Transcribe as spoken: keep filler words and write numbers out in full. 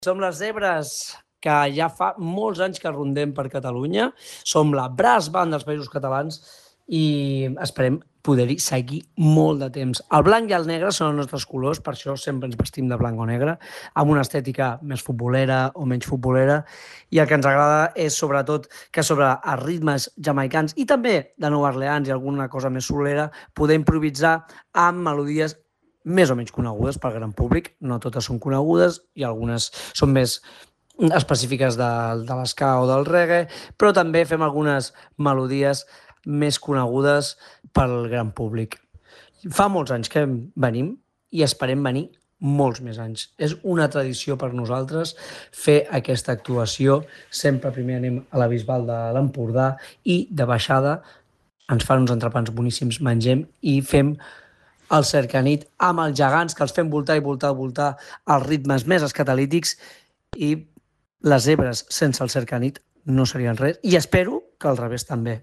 Som les Zebres, que ja fa molts anys que rondem per Catalunya. Som la brass band dels Països Catalans i esperem poder-hi seguir molt de temps. El blanc i el negre són els nostres colors, per això sempre ens vestim de blanc o negre, amb una estètica més futbolera o menys futbolera, i el que ens agrada és sobretot que sobre els ritmes jamaicans i també de Nova Orleans i alguna cosa més solera poder improvisar amb melodies més o menys conegudes pel gran públic. No totes són conegudes i algunes són més específiques de, de l'esca o del reggae, però també fem algunes melodies més conegudes pel gran públic. Fa molts anys que venim i esperem venir molts més anys. És una tradició per nosaltres fer aquesta actuació. Sempre primer anem a la Bisbal de l'Empordà i de baixada ens fan uns entrepans boníssims, mengem i fem el cercanit amb els gegants, que els fem voltar i voltar, voltar als ritmes més escatalítics, i les zebres sense el cercanit no serien res, i espero que al revés també.